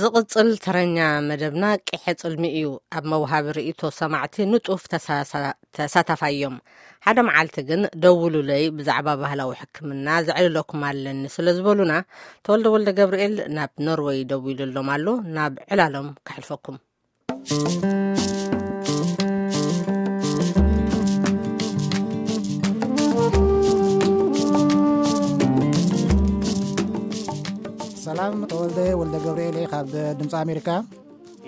ዝቕጽል ተረኛ መደብና ቂሐ ጽልሚ እዩ። ኣብ መውሃቢ ርእይቶ ሰማዕቲ ንጡፍ ተሳሳ-፣ ተሳታፋይ እዮም። ሓደ መዓልቲ ግን ደውሉለይ፣ ብዛዕባ ባህላዊ ሕክምና ዘዕልለኩም ኣለኒ ስለ ዝበሉና፣ ተወልደ ወልደ ገብርኤል ናብ ኖርወይ ደዊሉሎም ኣሎ። ናብ ዕላሎም ከሕልፈኩም። ሰላም፣ ተወልደ ወልደ ገብርኤል እየ ካብ ድምፂ ኣሜሪካ።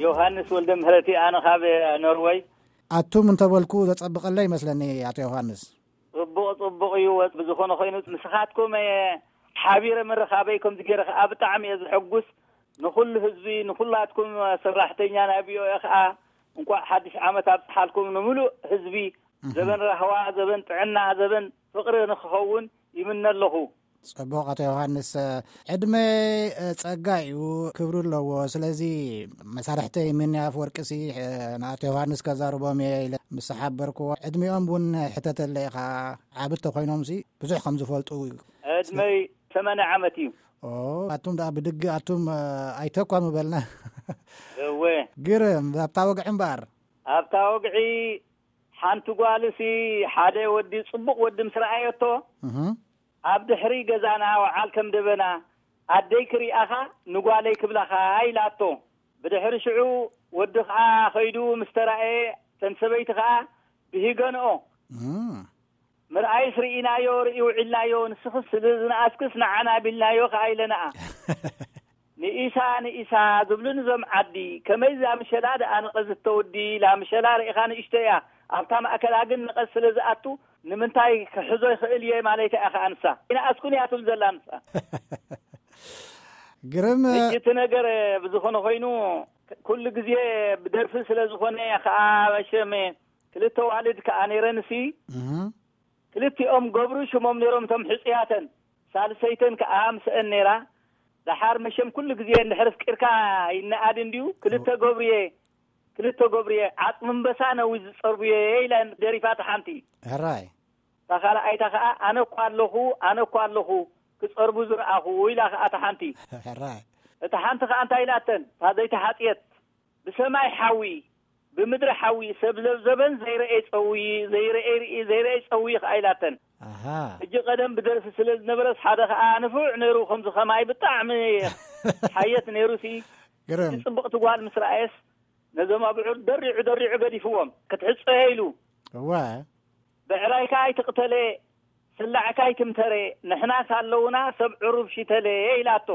ዮሃንስ ወልደ ምህረቲ፣ ኣነ ካብ ኖርወይ። ኣቱም እንተበልኩ ዘጸብቐለይ ይመስለኒ፣ ኣቶ ዮሃንስ። ጽቡቕ፣ ጽቡቕ እዩ። ብዝኾነ ኮይኑ፣ ንስኻትኩም፣ እ፣ ሓቢረ ምርኻበይ ከምዚ ገይረ ከኣ ብጣዕሚ እየ ዝሕጉስ። ንኹሉ ህዝቢ፣ ንኹላትኩም ሰራሕተኛ ናይ ቪ ኦ ኤ ከኣ እንቋዕ ሓድሽ ዓመት ኣብጽሓልኩም፣ ንምሉእ ህዝቢ እህ። ዘበን ራህዋ፣ ዘበን ጥዕና፣ ዘበን ፍቕሪ ንክኸውን ይምነ ኣለኹ። ጽቡቕ፣ ኣቶ ዮሃንስ፣ ዕድመ፣ እ፣ ጸጋ እዩ፣ ክብሪ ኣለዎ። ስለዚ መሳርሕተይ ሚኒ ኣፍወርቂሲ፣ እ፣ ንኣቶ ዮሃንስ ከዛርቦም እየ ኢለ ምስ ሓበርክዎ፣ ዕድሚኦም እውን ሕተተለ ኢኻ። ዓቢ እንተኾይኖምሲ ብዙሕ ከም ዝፈልጡ። ዕድመይ ሰማንያ ዓመት እዩ። ኦ፣ ኣቱም ደኣ ብድጊ ኣቱም፣ እ፣ ኣይተኳ ምበልና። እወ። ግርም፣ ኣብታ ወግዒ እምበኣር። ኣብታ ወግዒ ሓንቲ ጓልሲ ሓደ ወዲ፣ ጽቡቕ ወዲ ምስ ረኣየቶ፣ እህ። ኣብ ድሕሪ ገዛና ወዓል ከም ደበና፣ ኣደይ ክሪኣኻ ንጓለይ ክብላኻ ኢላቶ። ብድሕሪ ሽዑ ወዲ ኸኣ ኸይዱ ምስ ተራእየ፣ ተን ሰበይቲ ኸኣ ብሂገንኦ። እም። ምርኣይስ ርኢናዮ፣ ርኢ ውዒልናዮ፣ ንስኽስ ስለ ዝነኣስክስ ንዓና ቢልናዮ ኸኣ ኢለናኣ። ንኢሳ፣ ንኢሳ ዝብሉኒ እዞም ዓዲ፣ ከመይ እዛ ምሸላ ደኣ ንቐዝት ተወዲ ኢላ፣ ምሸላ ርኢኻ ንእሽቶ እያ፣ ኣብታ ማእከላ ግን ንቐዝ ስለ ዝኣቱ፣ ንምንታይ ክሕዞ ይኽእል እየ ማለታ እያ ኸኣ ንሳ። ይንኣስኩን እያ ትብል ዘላ ንሳ። ግርም። ሕጂ እቲ ነገር ብዝኾነ ኮይኑ፣ ኩሉ ግዜ ብደርፊ ስለ ዝኾነ ኸኣ መሸም ክልተ ዋልድ ከኣ ነይረንሲ፣ እህ። ክልቲኦም ገብሩ ሽሞም ነይሮም እቶም ሕጹያተን። ሳልሰይተን ከኣ ምስአን ነይራ። ደሓር መሸም ኩሉ ግዜ እንድሕር ኣፍቂርካ ይነኣድ እንድዩ። ክልተ ገብሩየ፣ ክልተ ገብሩየ፣ ዓጽሚ እምበሳ ነዊት ዝጸርቡየ ኢለን ደሪፋ እታ ሓንቲ። ሕራይ። እታ ካልኣይታ ከኣ ኣነ እኳ ኣለኹ፣ ኣነ እኳ ኣለኹ፣ ክጸርቡ ዝረኣኹ ኢላ ከኣ እታ ሓንቲ። ሕራይ። እታ ሓንቲ ከኣ እንታይ ኢላተን? እታ ዘይተሓጽየት፣ ብሰማይ ሓዊ፣ ብምድሪ ሓዊ፣ ሰብ ዘብዘበን ዘይረኤ ጸውዪ፣ ዘይረኤ ርኢ፣ ዘይረኤ ጸውዪ ከኣ ኢላተን። ኣሃ። ሕጂ ቀደም ብደርፊ ስለ ዝነበረስ ሓደ ከኣ ንፉዕ ነይሩ፣ ከምዚ ከማይ ብጣዕሚ ሓየት ነይሩሲ። ግርም። ጽብቕቲ ጓል ምስ ረኣየስ ነዞም ኣብዑር ደሪዑ ደሪዑ ገዲፍዎም። ክትሕጸዮ ኢሉ። እወ። ብዕራይካ ኣይትቕተለ፣ ስላዕካ ኣይትምተረ፣ ንሕናስ ኣለውና ሰብ ዕሩብ ሽተለ ኢላቶ።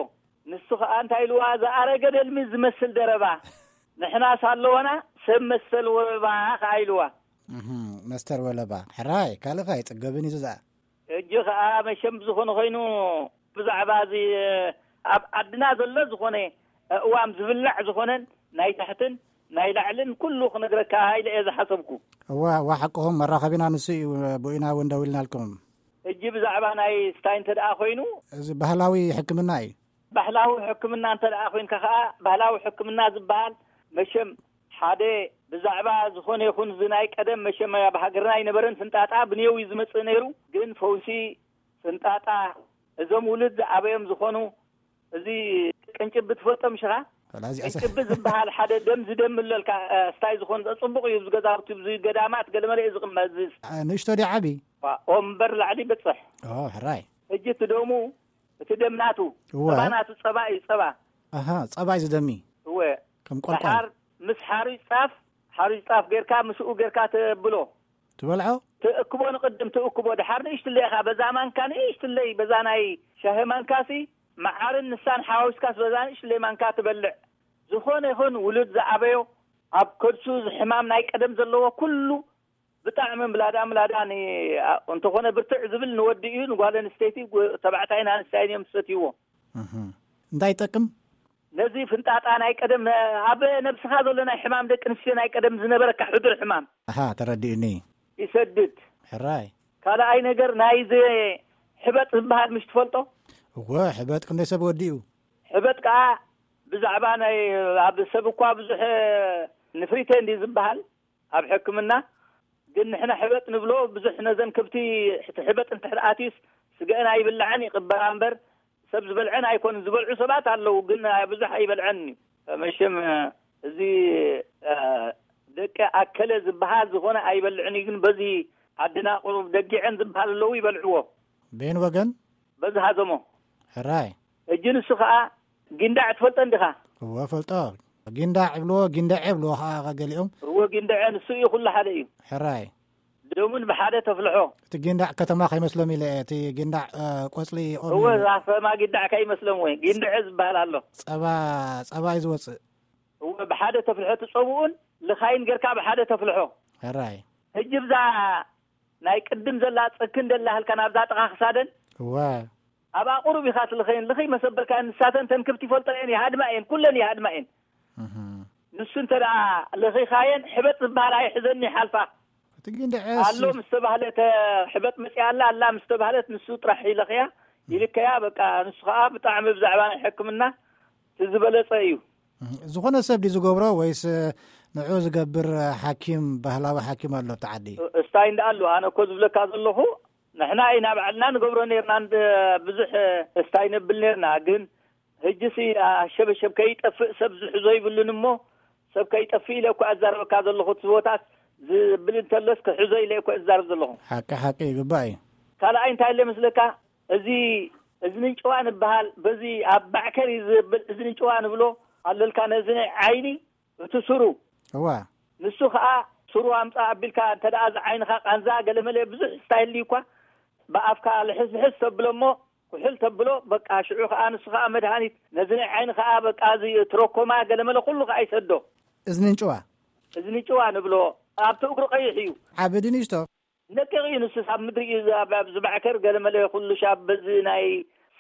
ንሱ ኸኣ እንታይ ኢልዋ? ዝኣረገ ደልሚ ዝመስል ደረባ፣ ንሕናስ ኣለወና ሰብ መሰል ወረባ ኸኣ ኢልዋ። እህ፣ መስተር ወለባ። ሕራይ፣ ካልእ ኸኣ ኣይጽገብን እዩ ዝኣ። ሕጂ ኸኣ መሸም ብዝኾነ ኾይኑ ብዛዕባ እዚ ኣብ ዓድና ዘሎ ዝኾነ ኣእዋም ዝብላዕ ዝኾነን ናይ ታሕትን ናይ ላዕልን ኩሉ ክነግረካ ኢለ እየ ዝሓሰብኩ። እዋ፣ እዋ፣ ሓቅኹም፣ መራኸቢና ንሱ እዩ፣ ብኡ ኢና እውን ደዊልናልኩም። ሕጂ ብዛዕባ ናይ ስታይ እንተ ደኣ ኾይኑ፣ እዚ ባህላዊ ሕክምና እዩ። ባህላዊ ሕክምና እንተ ደኣ ኮይንካ ኸኣ፣ ባህላዊ ሕክምና ዝበሃል መሸም ሓደ ብዛዕባ ዝኾነ ይኹን እዚ ናይ ቀደም መሸም ኣብ ሃገርና ኣይነበረን፣ ፍንጣጣ ብኔው እዩ ዝመጽእ ነይሩ። ግን ፈውሲ ፍንጣጣ እዞም ውሉድ ዝኣበዮም ዝኾኑ፣ እዚ ቅንጭቢ ትፈልጦ ምሽኻ? ወላ እዚኣ ሰ- ቅንጭቢ ዝበሃል ሓደ ደም ዝደምለልካ፣ እ፣ ስታይ ዝኾነ ጽቡቕ እዩ። ኣብዚ ገዛውቲ፣ ኣብዚ ገዳማት ገለመለ እዩ ዝቕመጥ። እዚ ስ- እ፣ ንእሽቶ ድዩ ዓቢ? ዋ፣ ኦም እምበር ላዕሊ በጽሕ። ኦ፣ ሕራይ። ሕጂ እቲ ደሙ፣ እቲ ደም ናቱ፣ እወ። ጸባ ናቱ፣ ጸባ እዩ፣ ጸባ። ኣሃ፣ ጸባ እዩ ዝደሚ። እወ። ከም ቆልቋል። ደሓር ምስ ሓሩጭ ጻፍ፣ ሓሩጭ ጻፍ ጌርካ፣ ምስኡ ጌርካ ተብሎ። ትበልዖ? ትእክቦ፣ ንቕድም ትእክቦ፣ ደሓር ንእሽትለይ ኢኻ፣ በዛ ማንካ ንእሽትለይ፣ በዛ ናይ ሻሂ ማንካሲ፣ መዓርን ንሳን ሓዋዊስካስ በዛ ንእሽትለይ ማንካ ትበልዕ። ዝኾነ ይኹን ውሉድ ዝኣበዮ፣ ኣብ ከርሱ እዚ ሕማም ናይ ቀደም ዘለዎ ኩሉ ብጣዕሚ ምላዳ ምላዳ ን-፣ ኣ-፣ እንተኾነ ብርትዕ ዝብል ንወዲ እዩ፣ ንጓል ኣንስተይቲ፣ ግ-፣ ተባዕታይን ኣንስታይን እዮም ዝሰትይዎ። እህ። እንታይ ይጠቅም? ነዚ ፍንጣጣ ናይ ቀደም፣ ነ-፣ ኣብ ነብስኻ ዘሎ ናይ ሕማም ደቂ ኣንስትዮ ናይ ቀደም ዝነበረካ ሕዱር ሕማም ኣሃ፣ ተረዲኡኒ። ይሰድድ። ሕራይ። ካልኣይ ነገር ናይ ዘ-፣ ሕበጥ ዝበሃል ምሽ ትፈልጦ? እወ፣ ሕበጥ ክንደይ ሰብ ወዲኡ? ሕበጥ ከኣ ብዛዕባ ናይ ኣብ ሰብ እኳ ብዙሕ ንፍሪተ እንዲ ዝበሃል ኣብ ሕክምና፣ ግን ንሕና ሕበጥ ንብሎ ብዙሕ ነዘን ከብቲ ሕቲ ሕበጥ እንድሕር ኣትዩስ ስገአን ኣይብልዐን ይቕበራ እምበር ሰብ ዝበልዐን ኣይኮኑን። ዝበልዑ ሰባት ኣለዉ፣ ግን ብዙሕ ኣይበልዐን እዩ። መሸም እዚ ደቂ ኣከለ ዝበሃል ዝኾነ ኣይበልዕን እዩ። ግን በዚ ዓድና ቁሩብ ደጊዐን ዝበሃል ኣለዉ፣ ይበልዕዎ። ቤን ወገን? በዚ ሃዘሞ። ሕራይ። እጂ ንሱ ኸዓ ጊንዳዕ ትፈልጦ እንዲኻ? እወ ፈልጦ። ጊንዳዕ ይብልዎ፣ ጊንዳዕ ይብልዎ ኸዓ ገሊኦም። እወ ጊንዳዕ ንሱ እዩ፣ ኩሉ ሓደ እዩ። ሕራይ። ደሙን ብሓደ ተፍልሖ። እቲ ጊንዳዕ ከተማ ከይመስሎም ኢለ እየ፣ እቲ ጊንዳዕ፣ እ፣ ቆጽሊ ኦም እወ እዩ። ዛፈማ ጊንዳዕ ከይመስሎም ወይ ጊንዳዕ ዝበሃል ኣሎ። ጸባ፣ ጸባ እዩ ዝወጽእ። እወ ብሓደ ተፍልሖ፣ እቲ ጸብኡን ልኻይን ጌርካ ብሓደ ተፍልሖ። ሕራይ። ሕጂ ብዛ ናይ ቅድም ዘላ ጽክን ደላ ህልካ ናብዛ ጥቓ ክሳደን እወ። ኣብኣ ቁሩብ ኢኻ ትልኸየን፣ ልኽይ መሰበልካ ንሳተን ተንክብቲ ይፈልጦ እየን፣ ይሃድማ እየን፣ ኩለን ይሃድማ እየን። እህ። ንሱ እንተ ደኣ ልኺኻየን፣ ሕበጥ ዝበሃል ኣይሕዘን ይሓልፋ። እቲ ጊንዳዕ ኣሎ ምስ ተባህለት፣ ሕበጥ መጺኣ ኣላ፣ ኣላ ምስ ተባህለት፣ ንሱ ጥራሕ ይለኽያ፣ ይልከያ። በቃ ንሱ ኸኣ ብጣዕሚ ብዛዕባ ናይ ሕክምና እቲ ዝበለጸ እዩ። እህ፣ ዝኾነ ሰብ ድዩ ዝገብሮ ወይስ ንዑ ዝገብር ሓኪም፣ ባህላዊ ሓኪም ኣሎ ኣብቲ ዓዲ? እስታይ እንዳ ኣሎ፣ ኣነ እኮ ዝብለካ ዘለኹ፣ ንሕና ኢና ባዕልና ንገብሮ ኔርና፣ እንደ ብዙሕ እስታይ ነብል ኔርና፣ ግን ህጅሲ ኣሸበሸብ ከይጠፍእ ሰብ ዝሕዞ ይብሉን እሞ፣ ሰብ ከይጠፍእ ኢለ እኮ ኣዛረበካ ዘለኹ። እቲ ቦታት ዝብል እንተሎስ ክሕዞ ኢለ እኮ እዛረብ ዘለኹ። ሓቂ፣ ሓቂ ይግባእ እዩ። ካልኣይ እንታይ ኢለ መስለካ? እዚ እዝኒ እንጭዋ ንበሃል፣ በዚ ኣብ ባዕከር እዩ ዝብል፣ እዝኒ እንጭዋ ንብሎ ኣለልካ፣ ነዚ ናይ ዓይኒ እቲ ስሩ። እዋ። ንሱ ኸኣ ስሩ ኣምጻእ ኣቢልካ እንተ ደኣ እዚ ዓይንኻ ቃንዛ ገለመለ ብዙሕ ስታይል እዩ እኳ፣ ብኣፍካ ልሕስልሕስ ተብሎ እሞ፣ ኩሕል ተብሎ፣ በቃ ሽዑ ኸኣ ንሱ ኸኣ መድሃኒት፣ ነዚ ናይ ዓይኒ ኸኣ በቃ እዚ ትረኮማ ገለመለ ኩሉ ኸኣ ይሰዶ። እዝኒ እንጭዋ። እዝኒ እንጭዋ ንብሎ፣ ኣብቲ እግሩ ቀይሕ እዩ። ዓቢ ድንሽቶ? ነቂቕ እዩ ንሱስ፣ ኣብ ምድሪ እዩ፣ ኣብ፣ ኣብ ዝባዕከር ገለመለ ኩሉ ሻብ በዚ ናይ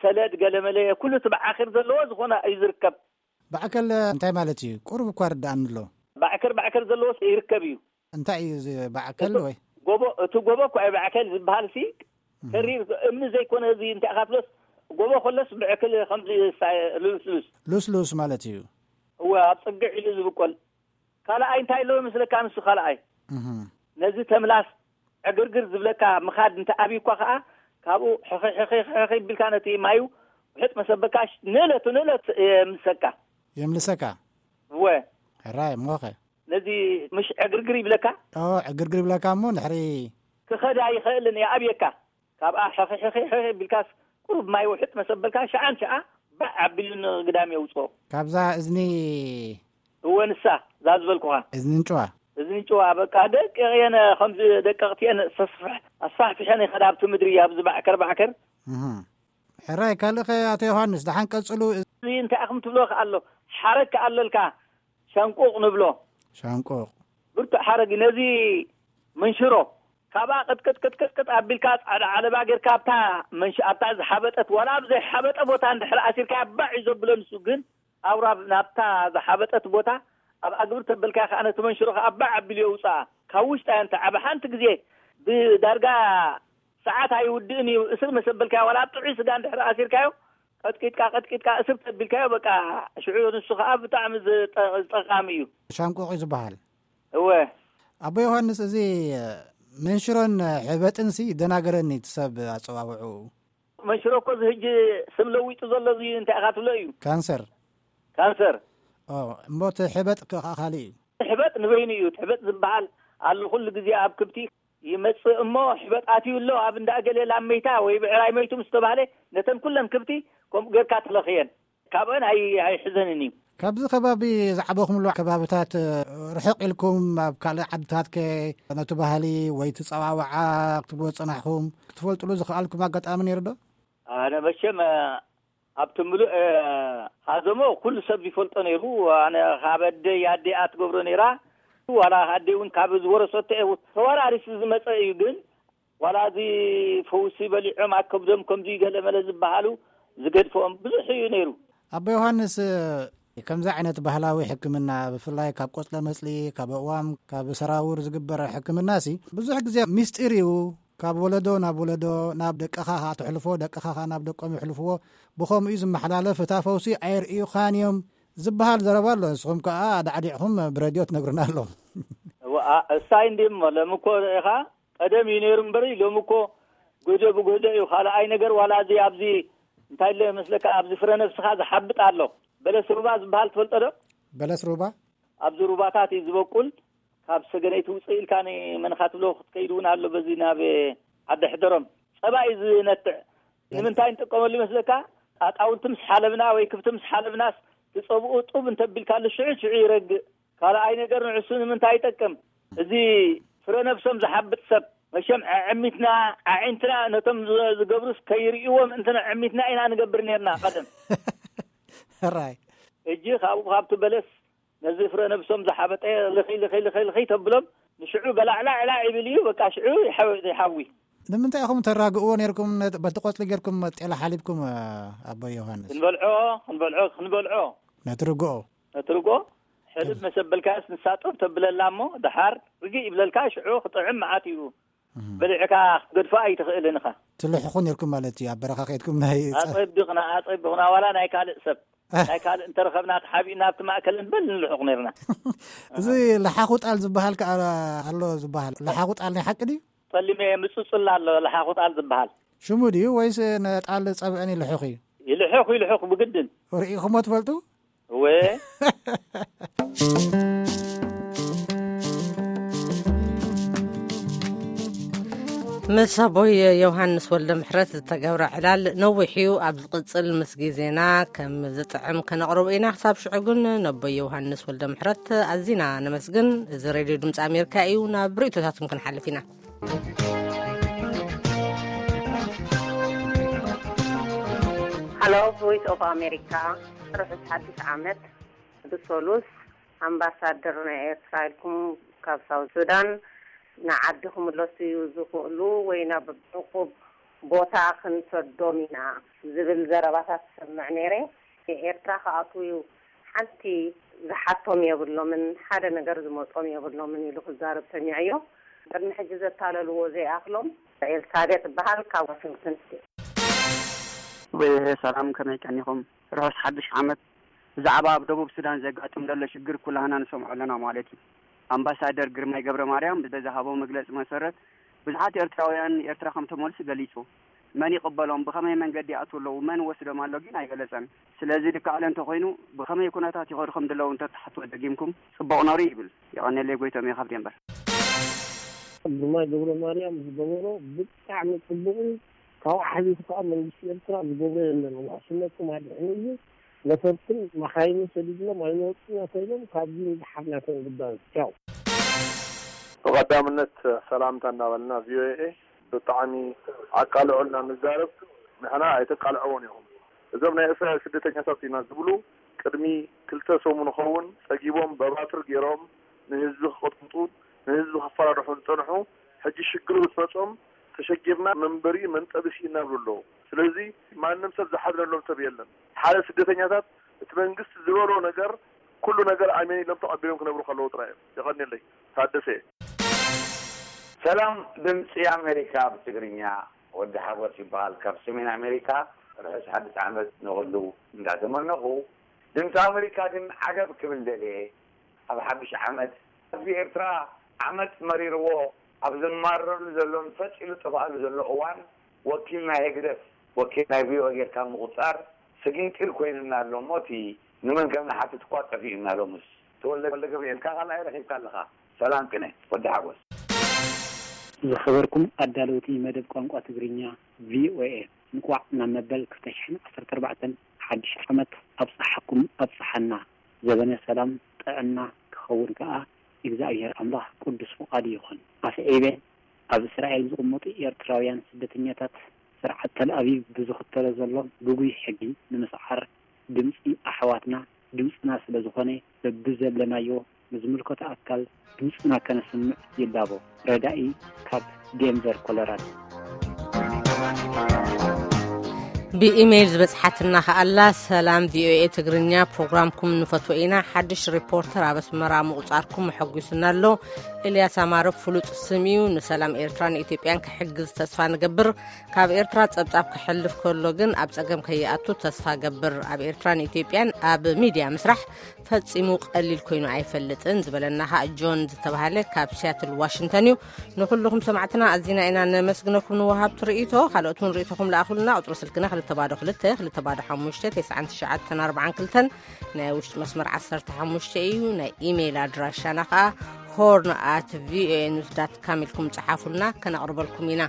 ሰለድ ገለመለ ኩሉ እቲ ባዓኺር ዘለዎ ዝኾነ እዩ ዝርከብ። ባዕከል እንታይ ማለት እዩ? ቁሩብ እኳ ርድኣኒ ኣሎ። ባዕከር፣ ባዕከር ዘለዎ ይርከብ እዩ። እንታይ እዩ እዚ ባዕከል እቲ ወይ? ጎቦ፣ እቲ ጎቦ እኮ እዩ ባዕከል ዝበሃል ሲ፣ እህ። ተሪር እምኒ ዘይኮነ እዚ እንታይ ኢኻ ትብሎስ፣ ጎቦ ከሎስ ብዕክል ከምዚ ሳ-፣ ልስሉስ። ልስሉስ ማለት እዩ። እወ፣ ኣብ ጽግዕ ኢሉ ዝብቆል። ካልኣይ እንታይ ኣለዎ ይመስለካ ንሱ ካልኣይ? እህ። ነዚ ተምላስ ዕግርግር ዝብለካ ምኻድ እንተ ኣብዩኳ ኸኣ፣ ካብኡ ሕኺ፣ ሕኺ፣ ሕኺ ቢልካ ነቲ ማዩ ውሕጥ መሰበካ ሽ-፣ ንእለቱ ንእለት የምልሰካ። የምልሰካ? እወ። ሕራይ፣ እሞኸ? ነዚ ምሽ ዕግርግር ይብለካ? ኦ፣ ዕግርግር ይብለካ እሞ ድሕሪ ክኸድ ኣይኽእልን፣ ይኣብየካ። ካብኣ ሕኺ፣ ሕኺ፣ ሕኺ ቢልካስ ቁሩብ ማይ ውሕጥ መሰበልካ፣ ሸዓን ሸዓ ባዕ ኣቢሉ ንግዳም የውጽኦ። ካብዛ እዝኒ እወ፣ ንሳ እዛ ዝበልኩኻ። እዝኒ እንጭዋ። እዝኒ እንጭዋ፣ በቃ ደቂቕ እየን፣ ከምዚ ደቀቕቲ እየን፣ ኣስፋሕ-፣ ኣስፋሕፊሐን ይኸዳ ኣብቲ ምድሪ፣ ኣብዚ ባዕከር ባዕከር። እህ። ሕራይ፣ ካልእ ኸ ኣቶ ዮሃንስ፣ ደሓን ቀጽሉ። እዚ እንታይ ኢኹም ትብሎ ከኣ ኣሎ፣ ሓረግ ከኣ ኣለልካ፣ ሻንቁቕ ንብሎ። ሻንቁቕ። ብርቱዕ ሓረግ፣ ነዚ መንሽሮ፣ ካብኣ ቅጥቅጥ ቅጥቅጥ ቅጥ ኣቢልካ ጻዕዳ ዓለባ ጌርካ ኣብታ መንሽ-፣ ኣብታ ዝሓበጠት፣ ዋላ ኣብ ዘይሓበጠ ቦታ እንድሕር ኣሲርካያ ባዕ እዩ ዘብሎ ንሱ፣ ግን ኣውራ ናብታ ዝሓበጠት ቦታ ኣብ ኣግብር ተበልካያ ከኣ ነቲ መንሽሮ ከኣ ባዕ ኣቢሉ የውጽኣ። ካብ ውሽጣ እያ እንተ ዓቢ ሓንቲ ግዜ ብዳርጋ ሰዓት ኣይውድእን እዩ። እስር መሰበልካዮ ዋላ ኣብ ጥዑይ ስጋ እንድሕር ኣሲርካዮ ቀጥቂጥካ ቀጥቂጥካ እስር ተቢልካዮ በቃ ሽዑ ንሱ ከኣ ብጣዕሚ ዝጠ-፣ ዝጠቓሚ እዩ። ሻንቆቕ እዩ ዝበሃል። እወ። ኣቦ ዮሃንስ፣ እዚ መንሽሮን ሕበጥንሲ ይደናገረኒ እቲ ሰብ ኣጸዋውዕኡ። መንሽሮ እኮ እዚ ሕጂ ስም ለዊጡ ዘሎ እዚ እንታይ ኢኻ ትብሎ እዩ? ካንሰር። ካንሰር። ኦ፣ እሞ እቲ ሕበጥ ከ-፣ ከኣ ካልእ እዩ። ሕበጥ ንበይኑ እዩ። እቲ ሕበጥ ዝበሃል ኣሎ ኩሉ ግዜ ኣብ ክብቲ ይመጽእ እሞ፣ ሕበጥ ኣትዩ ኣሎ ኣብ እንዳ እገሌ ላም መይታ ወይ ብዕራይ መይቱ ምስ ተባህለ፣ ነተን ኩለን ክብቲ ከምኡ ጌርካ ትለኽየን። ካብአን ኣይ-፣ ኣይሕዘንን እዩ። ካብዚ ከባቢ ዝዓበኹምሉ ከባብታት ርሕቕ ኢልኩም ኣብ ካልእ ዓድታት ከ ነቲ ባህሊ ወይ እቲ ጸዋውዓ ክትብልዎ ዝጸናሕኩም ክትፈልጥሉ ዝኸኣልኩም ኣጋጣሚ ነይሩ ዶ? ኣነ መቸም ኣብቲ ምሉእ ሃዘሞ ኩሉ ሰብ ይፈልጦ ነይሩ። ኣነ ካብ ኣደይ ኣደኣ ትገብሮ ነይራ። ዋላ ኣደይ እውን ካብ ዝወረሰቶ እየ። ተወራሪሱ ዝመጸ እዩ። ግን ዋላ እዚ ፈውሲ በሊዖም ኣብ ከብዶም ከምዚ ገለ መለ ዝበሃሉ ዝገድፈኦም ብዙሕ እዩ ነይሩ። ኣቦ ዮሃንስ፣ ከምዚ ዓይነት ባህላዊ ሕክምና፣ ብፍላይ ካብ ቆጽለ መጽሊ፣ ካብ ኣእዋም፣ ካብ ሰራውር ዝግበር ሕክምናሲ ብዙሕ ግዜ ምስጢር እዩ። ካብ ወለዶ ናብ ወለዶ፣ ናብ ደቅኻ ኸኣ ተሕልፎ፣ ደቅኻ ኸኣ ናብ ደቆም የሕልፍዎ። ብኸምኡ እዩ ዝመሓላለፍ። እታ ፈውሲ ኣየርእዩኻን እዮም ዝበሃል ዘረባ ኣሎ። ንስኹም ከኣ ኣዳዕዲዕኹም ብረድዮ ትነግሩና ኣለኹም። እዋ፣ ኣ-፣ እሳይ እንዲ እሞ፣ ሎሚ እኮ ኢኻ ቀደም እዩ ነይሩ እምበሪ፣ ሎሚ እኮ ጎጆ ብጎጆ እዩ። ካልኣይ ነገር፣ ዋላ እዚ ኣብዚ እንታይ ኣሎ ይመስለካ፣ ኣብዚ ፍረ ነብስኻ ዝሓብጥ ኣሎ። በለስ ሩባ ዝበሃል ትፈልጦ ዶ? በለስ ሩባ? ኣብዚ ሩባታት እዩ ዝበቁል። ካብ ሰገነይቲ ውፅእ ኢልካ ንመንኻ ትብሎ ክትከይድ እውን ኣሎ። በዚ ናብ ዓዲ ሕደሮም ጸባ እዩ ዝነትዕ። ንምንታይ ንጥቀመሉ ይመስለካ? ኣጣውንቲ ምስ ሓለብና ወይ ክብቲ ምስ ሓለብናስ፣ ትጸብኡ ጡብ እንተቢልካሉ ሽዑ ሽዑ ይረግእ። ካልኣይ ነገር፣ ንዕሱ ንምንታይ ይጠቅም? እዚ ፍረ ነብሶም ዝሓብጥ ሰብ፣ መሸም ኣዕሚትና፣ ኣዒንትና ነቶም ዝ- ዝገብሩስ ከይርእይዎም እንተ ኣዕሚትና ኢና ንገብር ነርና ቀደም። ራይ። እጂ ካብኡ ካብቲ በለስ ነዚ ፍረ ነብሶም ዝሓበጠ ልኺ፣ ልኺ፣ ልኺ፣ ልኺ ተብሎም፣ ንሽዑ በላዕላዕላዕ ይብል እዩ። በቃ ሽዑ ይሓው- ይሓዊ። ንምንታይ ኢኹም ተራግእዎ ነርኩም? ነ- በቲ ቆጽሊ ገርኩም ጤላ ሓሊብኩም፣ ኣቦ ዮሃንስ? ክንበልዖ፣ ክንበልዖ፣ ክንበልዖ። ነቲ ርግኦ? ነቲ ርግኦ ሕልብ መሰበልካስ ንሳ ጡብ ተብለላ እሞ፣ ደሓር ርግእ ይብለልካ፣ ሽዑ ክጥዕም መዓት እዩ። በሊዕካ ክትገድፎ ኣይትኽእልን ኢኻ። ትልሕኹ ነርኩም ማለት እዩ፣ ኣብ በረኻ ከይድኩም ናይ ጸ- ኣጸቢቕና፣ ኣጸቢቕና፣ ዋላ ናይ ካልእ ሰብ፣ ናይ ካልእ እንተረኸብና ተሓቢእና ኣብቲ ማእከል እንበል ንልሕቕ ነርና። እዚ ለሓኹ ጣል ዝበሃል ከኣ ኣሎ ዝበሃል። ለሓኹ ጣል ናይ ሓቂ ድዩ? ጸሊመ ምጽጹል ኣሎ ለሓኹ ጣል ዝበሃል። ሽሙ ድዩ ወይስ ነጣል ጸብዕን ይልሕኹ እዩ? ይልሕኹ፣ ይልሕኹ ብግድን። ርኢኹሞ ትፈልጡ? እወ። ምስ ኣቦይ ዮሃንስ ወልደ ምሕረት ዝተገብረ ዕላል ነዊሕ እዩ። ኣብ ዝቕጽል ምስ ግዜና ከም ዝጥዕም ከነቕርቦ ኢና። ክሳብ ሽዑ ግን ነቦይ ዮሃንስ ወልደ ምሕረት ኣዚና ነመስግን። እዚ ሬድዮ ድምፂ ኣሜሪካ እዩ። ናብ ርእይቶታትኩም ክንሓልፍ ኢና። ሃሎ፣ ቮይስ ኦፍ ኣሜሪካ፣ ርሑስ ሓድሽ ዓመት። ብሰሉስ ኣምባሳደር ናይ ኤርትራ ኢልኩም ካብ ሳውት ሱዳን ንዓዲ ክምለሱ እዩ ዝኽእሉ ወይ ናብ ዕቑብ ቦታ ክንሰዶም ኢና ዝብል ዘረባታት ሰምዕ ነይረ። ኤርትራ ክኣትዉ ሓንቲ ዝሓቶም የብሎምን፣ ሓደ ነገር ዝመጾም የብሎምን ኢሉ ክዛረብ ሰሚዐዮ። ቅድሚ ሕጂ ዘታለልዎ ዘይኣኽሎም። ኤልሳቤጥ እበሃል ካብ ዋሽንግተን ስቴት። ሰላም፣ ከመይ ቀኒኹም? ርሑስ ሓድሽ ዓመት። ብዛዕባ ኣብ ደቡብ ሱዳን ዘጋጥም ዘሎ ሽግር ኩላህና ንሰምዖ ኣለና ማለት እዩ። ኣምባሳደር ግርማይ ገብረ ማርያም ብዝሃቦ መግለጺ መሰረት፣ ብዙሓት ኤርትራውያን ኤርትራ ከም ተመልሱ ገሊጹ። መን ይቕበሎም፣ ብኸመይ መንገዲ ይኣትዉ ኣለዉ፣ መን ወስዶም ኣሎ ግን ኣይገለጸን። ስለዚ ልክዓለ እንተኾይኑ፣ ብኸመይ ኩነታት ይኸዱ ከም ዘለዉ እንተትሓትዎ ደጊምኩም ጽቡቕ ነሩ ይብል። የቐንየለይ፣ ጎይቶም እየ ካብ ዴንቨር። ግርማይ ገብረ ማርያም ዝገበሮ ብጣዕሚ ጽቡቕ እዩ። ካብኡ ሓሊፉ ከኣ መንግስቲ ኤርትራ ዝገብሮ የለን። ዋሕስነትኩም ኣድሕኑ እዩ። ነፈርትን መኻይንን ሰዲድሎም ኣይመጹን ተባሂሎም ካብዚ ንደሓር ናቶም ጉዳይ። ቻው። ብቐዳምነት ሰላምታ እናበልና ቪኦኤ ብጣዕሚ ኣቃልዑ እናንዛረብ ንሕና ኣይተቃልዕዎን ኢኹም። እዞም ናይ እስራኤል ስደተኛታት ኢና ዝብሉ ቅድሚ ክልተ ሰሙን ኸውን ጸጊቦም በባትር ገይሮም ንህዝቢ ክቕጥቅጡ ንህዝቢ ከፈራርሑ ዝጸንሑ ሕጂ ሽግር ምስ መጾም ተሸጊርና መንበሪ መንጠብሲ እናብሉ ኣለዉ። ስለዚ ማንም ሰብ ዝሓዝነሎም ሰብ የለን። ሓደ ስደተኛታት እቲ መንግስቲ ዝበሎ ነገር ኩሉ ነገር ኣሜን ኢሎም ተቐቢሎም ክነብሩ ከለዉ ጥራይ እዮም። የቐንየለይ። ታደሰ እየ። ሰላም ድምፂ ኣሜሪካ ብትግርኛ ወዲ ሓጎስ ይበሃል ካብ ሰሜን ኣሜሪካ። ርሑስ ሓድሽ ዓመት ንኹሉ እንዳተመነኹ ድምፂ ኣሜሪካ ግን ዓገብ ክብል ደልየ ኣብ ሓድሽ ዓመት ህዝቢ ኤርትራ ዓመፅ መሪርዎ ኣብ ዝማረረሉ ዘሎን ፈፂሉ ዝጠፍኣሉ ዘሎ እዋን ወኪል ናይ ህግደፍ ወኪል ናይ ቪኦኤ ጌርካ ምቁፃር ስጊንጢር ኮይኑና ኣሎ እሞ እቲ ንመን ከም ንሓትት እኳ ጠፊኡና ሎምስ ተወልደ ወልደ ገብርኤል ካኻልኣይ ረኺብካ ኣለኻ ሰላም ቅነ ወዲ ሓጎስ። ዝኸበርኩም ኣዳለውቲ መደብ ቋንቋ ትግርኛ ቪኦኤ፣ እንቋዕ ናብ መበል ክልተ ሽሕን ዓሰርተ ኣርባዕተን ሓድሽ ዓመት ኣብጽሓኩም ኣብጽሓና። ዘበነ ሰላም ጥዕና ክኸውን ከኣ እግዚኣብሔር ኣምላኽ ቅዱስ ፍቓዱ ይኹን። ኣስዒበ ኣብ እስራኤል ዝቕመጡ ኤርትራውያን ስደተኛታት ስርዓት ተልኣቪቭ ብዝኽተሎ ዘሎ ግጉይ ሕጊ ንምስዓር ድምጺ ኣሕዋትና ድምጽና ስለ ዝኾነ በብዘለናዮ ንዝምልከቶ ኣካል ድምጽና ከነስምዕ ይላቦ። ረዳኢ ካብ ዴንቨር ኮሎራዶ። ብኢሜይል ዝበጽሓትና ከኣላ ሰላም ቪኦኤ ትግርኛ ፕሮግራምኩም ንፈትዎ ኢና። ሓድሽ ሪፖርተር ኣብ ኣስመራ ምቑጻርኩም ኣሐጒሱና ኣሎ። ኤልያስ ኣማረ ፍሉጥ ስም እዩ። ንሰላም ኤርትራን ኢትዮጵያን ክሕግዝ ተስፋ ንገብር። ካብ ኤርትራ ጸብጻብ ክሕልፍ ከሎ ግን ኣብ ጸገም ከይኣቱ ተስፋ ገብር። ኣብ ኤርትራን ኢትዮጵያን ኣብ ሚድያ ምስራሕ ፈጺሙ ቀሊል ኮይኑ ኣይፈልጥን ዝበለና ኸኣ ጆን ዝተባህለ ካብ ሲያትል ዋሽንግተን እዩ። ንኹልኹም ሰማዕትና ኣዚና ኢና ነመስግነኩም ንወሃብቲ ርእይቶ። ካልኦት እውን ርእይቶኹም ለኣኹልና። ቁጽሪ ስልክና ተባዶ ክልተ ክልተ ባዶ ሓሙሽተ ተስዓን ትሽዓተን ኣርባዓን ክልተን፣ ናይ ውሽጢ መስመር ዓሰርተ ሓሙሽተ እዩ። ናይ ኢሜይል ኣድራሻና ከዓ ሆርን ኣት ቪኦኤ ኒውስ ዳት ካም ኢልኩም ጸሓፉልና፣ ከነቕርበልኩም ኢና።